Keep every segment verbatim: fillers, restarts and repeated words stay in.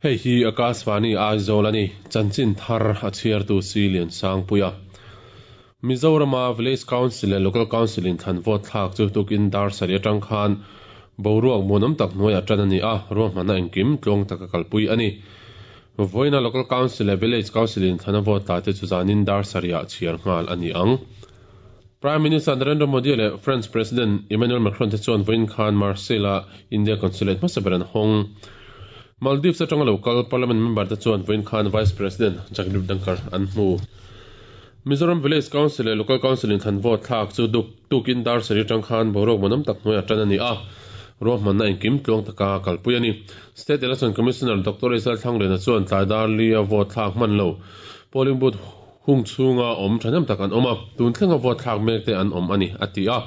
Hei hi Akashvani Aizawl a ni. Chanchin thar a chhiartu Silian Sangpuia. Mizorama Village Council leh Local Council in thlan vote thlak chu tukin dar sarih atang khan boruak muanawm tak hnuaiah tan a ni a, ruahmanna engkim tluang taka kalpui a ni. Vawiina Local Council leh Village Council in thlana vote tla te chu zanin dar sarihah chhiar nghal a ni ang. Prime Minister Narendra Modi leh French President Emmanuel Macron te chuan vawiin khan Marseille-a India Consulate hmasa ber an hawng. Maldives atanga local Parliament member te chuan vawiin khan Vice President Jagdeep Dhankhar an hmu. Mizoram Village Council leh Local Council in thlan vote thlak chu duk tukin dar sarih atang khan boruak muanawm tak hnuaiah tan a ni a, ruahmanna engkim tluang taka kalpui a ni. State Election Commissioner Doctor Israel Thlangliana chuan tlai dar li a vote thlak hman lo polling booth hung chhunga awm thahnem tak an awm a, tun thlenga vote thlak mek te an awm a ni, a ti a.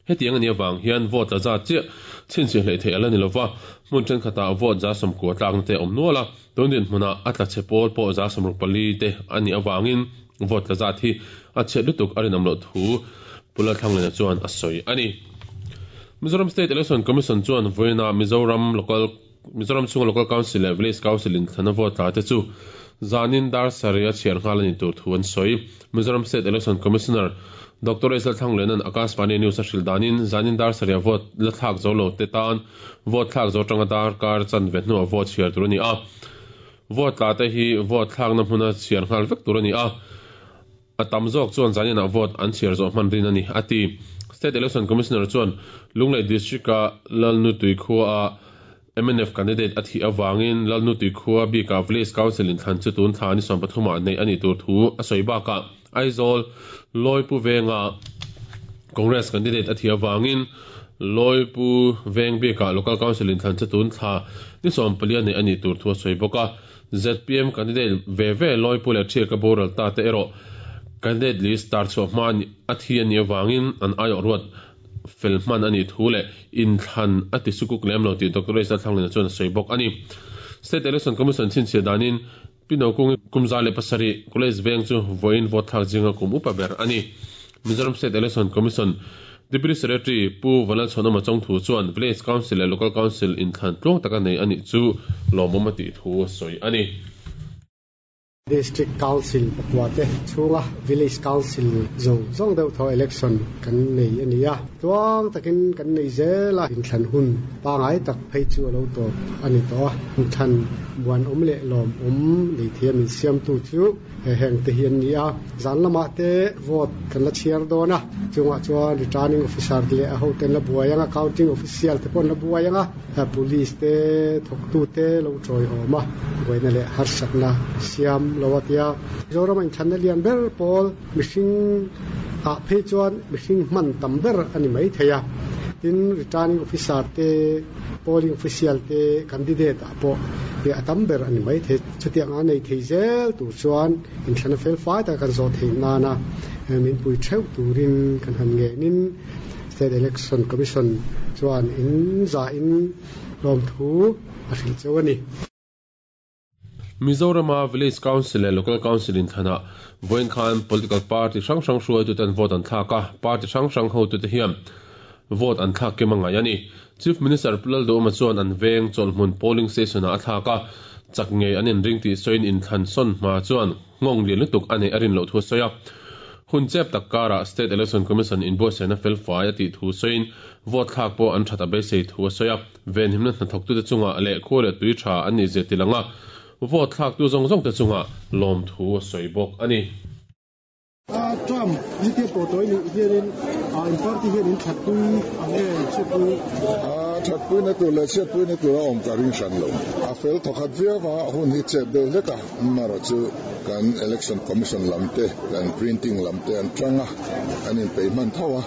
Hetiang a nih avang hian vote la zat chiah chhinchhiah hleih theih a la ni lova, hmun thenkhatah vote za sawmkua tlakna te a awm nual a, tun dinhmunah a tla chhe pawl pawh za sawmruk pali te a nih avangin vote la zat hi a chhiat lutuk a rinawm loh thu Pu Lalthlangliana chuan a sawi a ni. Mizoram State Election Commission chuan vawiinah Mizoram Local Mizoram chhunga Local Council leh Village Council in thlana vote tla te chu zanin dar sarih a chhiar nghal a ni tur thu an sawi. Mizoram State Election Commissioner Doctor Israel Thlangliana'n Akashvani News a hrilh danin zanin dar sarih a vote la thlak zo lo te tan vote thlak zo atanga dar kar chanve hnuah vote chhiar tur a ni a. Vote tla te hi vote thlakna hmuna chhiar nghal vek tur a ni a. A tam zawk chuan zaninah vote an chhiar zawh hman rin a ni, a ti. State Election Commissioner chuan Lunglei District-a Lalnutui khua-a M N F candidate a thih avangin Lalnutui khua bikah Village Council inthlan chu tun thla ni sawm pathumah neih a nih tur thu a sawi bakah Aizawl Lawipu Venga Congress candidate a thih avangin Lawipu Veng bikah Local Council inthlan chu tun thla ni sawm palia neih a nih tur thu a sawi bawk a. Z P M candidate ve ve Lawipu leh Thiaka boral ta te erawh candidate list tar chhuah hma a thi a nih avangin an aiawh ruat fel hman a nih thu leh inthlan a ti sukuk lem lo tih Doctor Israel Thlangliana chuan a sawi bawk a ni. State Election Commission chhinchhiah danin Pino Kungi kum za leh pasarih College Veng chu vawiin vote thlak zinga kum upa ber a ni. Mizoram State Election Commission Deputy Secretary Pu Vanlalchhawnawma Chawngthu chuan Village Council leh Local Council inthlan tluang taka nei a nih chu lawmawm a tih thu a sawi a ni. District Council pakua te chhunga Village Council zawng zawng deuh thaw election kan nei a ni a, tluang takin kan nei zel a, inthlan hun pangai tak phei chu a lo tawp a ni tawh a, inthlan muanawm leh lawmawm nei thiam insiamtu chu heng te hi an ni a, zan lamah te vote kan la chhiar dawn a, chungah chuan returning officer te leh a hoten la buai ang a, counting official te pawh an la buai ang a, police te thawktu te lo tawiawm a, buaina leh harsatna siam lo a tia. Mizoram a inthlanna lian ber pawl mihring ah phei chuan mihring hman tam ber a ni mai thei a, tin returning officer te, polling official te, candidate ah pawh a tam ber a ni mai thei. Chutiang a nei thei zel tur chuan inthlanna fel fai taka kan zawh theih nana min pui theuh turin kan han ngenin State Election Commission chuan in za in lawm thu a hrilh cheu a ni. Mizorama Village Council leh Local Council inthlanah vawiin khan political party hrang hrang hruaituten vote an thlak a, party hrang hrang hotute hian vote an thlak kim a ngai a ni. Chief Minister Pu Lalduhawma chuan an veng chawlhhmun polling station-ah a thlak a, chak ngei an inring tih sawiin inthlan sawn hma chuan nghawng lian lutuk a neih a rin loh thu a sawi a. Hun chep tak karah State Election Commission inbuatsaihna fel fai a tih thu sawiin vote thlak pawh an that a beisei thu a sawi a. Venhimna hnathawktute chungah leh khua leh tui tha an nih zia tilanga vote thlaktu zawng zawngte chungah lawm thu a sawi bawk a ni. Trump hetia pawh tawi nih hianin in party hian in thatpui ang nge chhiatpui? Thatpuina tur leh chhiatpuina tur a awm ka ring hran lo. A fel thawkhat viau a, hun hi chep deuh hlek a, amaherawh chu kan Election Commission lam te, kan printing lam te an tang a, an inpeih hman tho a,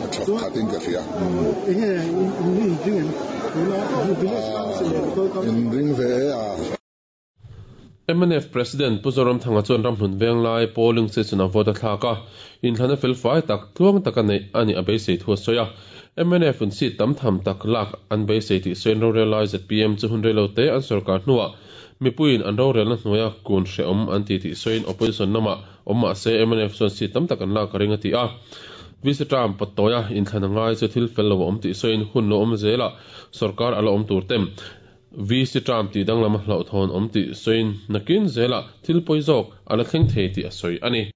a that khatin ka hria. Enge in inring em? Tuna Village Council leh Local Council. Inring ve e a. M N F President Pu Zoramthanga chuan ramhlun venglai polling station-ah vote a thlak a, inthlan a fel fai tak tluang taka neih a nih a beisei thu a sawi a. M N F in seat tam tham tak lak an beisei tih sawiin rorel lai Z P M chu hun reilo te an sorkar hnuah mipuiin an rorelna hnuaia kun hrehawm an ti tih sawiin opposition lamah awm mah se M N F chuan seat tam tak an lak a ring a ti a. V C Trump pawttawia inthlan a ngai chu thil fel lo a awm tih sawiin hun lo awm zelah sorkar a la awm tur tem. V C term ti danglam a hlauhthawn awm tih sawiin nakin zela thil pawi zawk a la thleng thei tih a sawi a ni.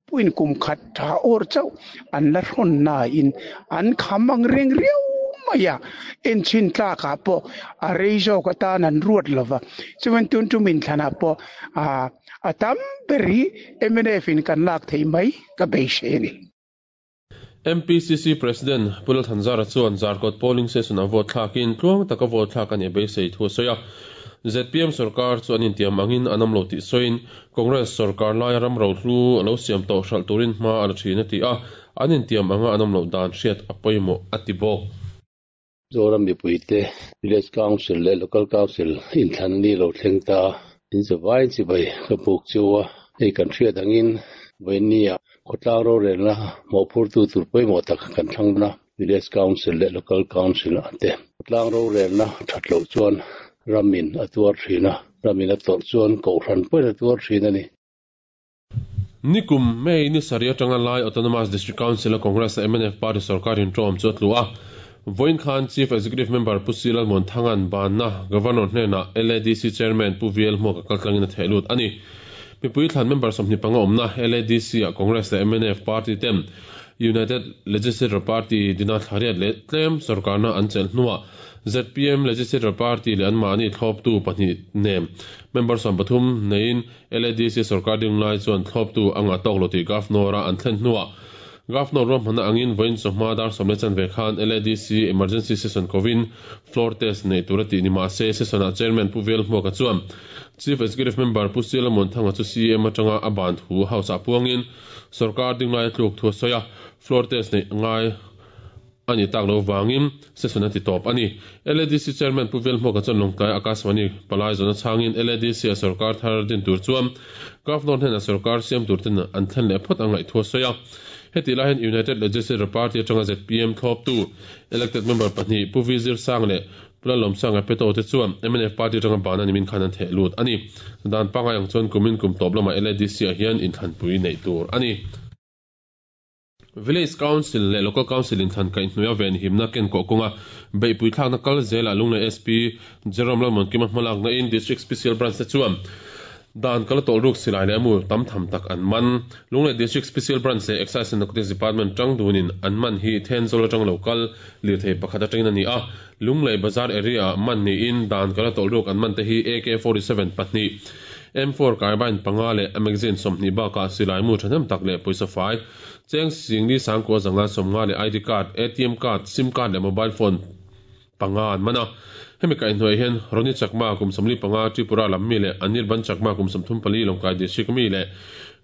Puin kum khat tha or chau an la hrawn na in an khamang reng riau maya en chin tla ka po a rei zawk atan an ruat lova chuan tun tumin thlana po a atam beri M N F in kan lak thei mai ka beisei ni. M P C C President Pulal Thanzara chuan Zarkawt polling station a vote thlakin tluang taka vote thlak ani beisei thu a sawi a. Z P M sarkar chu an intiam angin an awm lo tih sawiin Congress sarkar laia ram ro hlu a lo siam tawh hralh turin hma a la thin a ti a, an intiam anga an awm loh dan hriat a pawimawh a ti bawk. Zoram mipuite Village Council leh Local Council inthlan ni lo thleng ta in chawai chibai ka buk chuwa hei kan hriat angin vawinia khawtlang rorelna mawhphur tu tur pawimawh tak kan thlangna Village Council leh Local Council ate khawtlang rorelna that loh chuan ramin a tuar thina ramin a tawrh chuan kohhran pawhin a tuar thin a ni. Nikum May ni sarih atanga lai Autonomous District Council a Congress M N F Party sarkar in tawm chu a tlu a. Vawiin khan Chief Executive Member Pu Silal Muanthangan banna Governor hnena L A D C Chairman Pu V L Hmuaka kaltlangin a theh lut a ni. Mipui thlan member sawmhnih panga awmna L A D C a Congress leh M N F Party ten United Legislature Party dina thlariat leh tlem sarkarna an chelh hnuah Z P M Legislature Party leh an mahni thlawptu pahnih nem member sawm pathum neiin L A D C sarkar ding lai chuan thlawptu anga tawk lo tih Governor a an thlen hnuah Governor ruahmanna angin vawiin chawhma dar sawm leh chanve khan L A D C emergency session kovin floor test nei tur a tih ni mahse session ah Chairman Pu V L Hmuaka chuan Chief Executive Member Pu Sila Muanthanga chu C M atanga a ban thu house ah puangin sarkar ding lai a tluk thu a sawi a, floor test nei ngai ani tak lo wangin session a ti tawp ani. L A D C Chairman Pu V L Hmuaka chuan Lawngtlai Akashvani palai zawna changin L A D C a sarkar thar din tur chuan Governor hnena sarkar siam tur ten an thlen leh phawt angaih thu a sawi a. Heti lai hian United Legislature Party atanga Z P M thlawptu elected member pahnih Pu V Zir Sang leh Pula Lawmsang a peto te chuan M N F Party atanga bana nimin khan an theh lut ani. Dan pangai ang chuan kumin kum tawp lama L A D C ah hian inthlanpui nei tur ani. Village Council leh Local Council inthlan kaihhnuaia ven himna ken kawh kawnga beihpui thlakna kal zela Lunglei S P Jerome Lalmuankima hmalakna in District Special Branch te chuan dan kala tawlh ruk silai leh amu tam tham tak an man. Lunglei District Special Branch leh Excise and Narcotics Department tang dunin an man hi Thenzawl atang local lirthei pakhat atangin ani a. Lunglei Bazar area man niin dan kala tawlh ruk an man te hi A K forty-seven pahnih M four carbine panga leh magazine sawmhnih bakah silai mu thahnem tak leh pawisa fai cheng singli sangkua zanga sawmnga leh I D card, A T M card, SIM card leh mobile phone panga an man a. Hemi kaihhnuai hian Roni Chakma kum sawmli panga Tripura lam mi leh Anirban Chakma kum sawmthum pali Lawngtlai district mi leh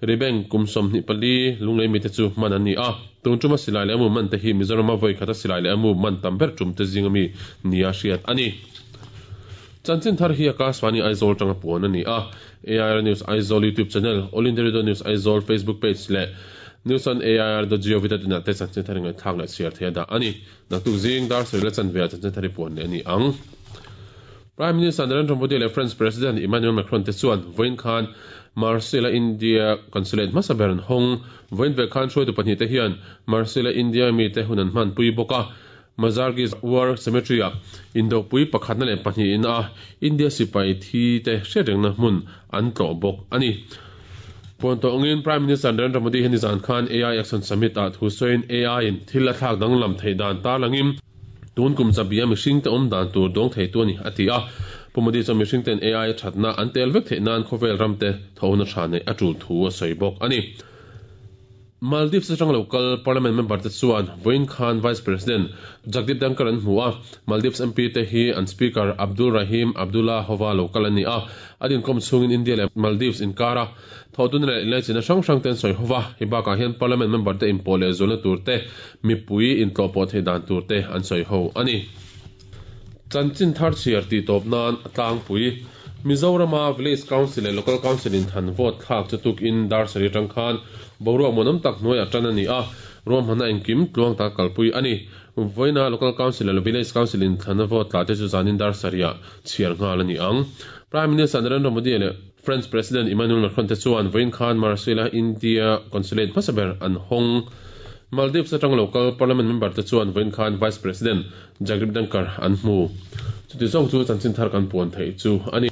Ribeng kum sawmhnih pali Lunglei mi te chu man an ni a. Tun tuma silai leh amu man te hi Mizoram a vawi khata silai leh amu man tam ber tum te zinga mi nia hriat ani. Chanchin thar hi Akashvani Aizawl tanga puan ani a. A I R News Aizawl YouTube channel, All India Radio News Aizawl Facebook page leh news on A I R dot gov dot in ah te chanchin thar ngai thlak leh chhiar thei a dah ani. Naktuk zing dar sarih la chanve ah chanchin thar hi puan leh ani ang. Prime Minister Narendra Modi leh French President Emmanuel Macron te chuan vawiin khan Marseille India Consulate hmasa ber an hawng. Vawiin ve khan hruaitu pahnih te hian Marseille India mi te hun an hman pui bawk a. Mazargi War Cemetery ah indopui pakhatna leh pahnih in a India sipai thi te hriatrengna hmun an tlawh bawk ani. Puan tawngin Prime Minister Narendra Modi hian nizan khan A I Action Summit ah thu sawiin A I in thil a thlak danglam thei dan tarlangin tun kum chabia mihring te awm dan tur dawng thei tu ani a ti a. Pu Modi chuan mihring ten A I thatna an tel vek theih nan khawvel ram te thona tha nei a tul thu a sawi bawk ani. Maldives atang local parliament member te chuan vawiin khan Vice President Jagdeep Dhankhar an hmu a. Maldives M P te hi an Speaker Abdul Rahim Abdullah Hova local ani a. Adin kom chungin India leh Maldives inkara thodun leh inlaichina hrang hrang ten sawi hova. Hi bakah hian parliament member te inpawh leh zawlna tur te mipui intlawhpawh thei dan tur te an sawi ho ani. Chanchin thar chhiar tih tawp nan a tlangpui Mizorama Village Council leh Local Council in than vote thlak chu tuk in dar sarih atang khan boruak muanawm tak hnuai a tan ani a. Ruahmanna engkim tluang tak kalpui ani. Vawiina Local Council leh Village Council in thlan vote tla te chu zanin dar sarih ah chhiar nghal ani ang. Prime Minister Narendra Modi leh French President Emmanuel Macron te chuan vawiin khan Marseille India Consulate hmasa ber an hawng. Maldives atang local parliament member te chuan vawiin khan Vice President Jagdeep Dhankhar an hmu. Chuti zawng chu chanchin thar kan puan theih chu ani.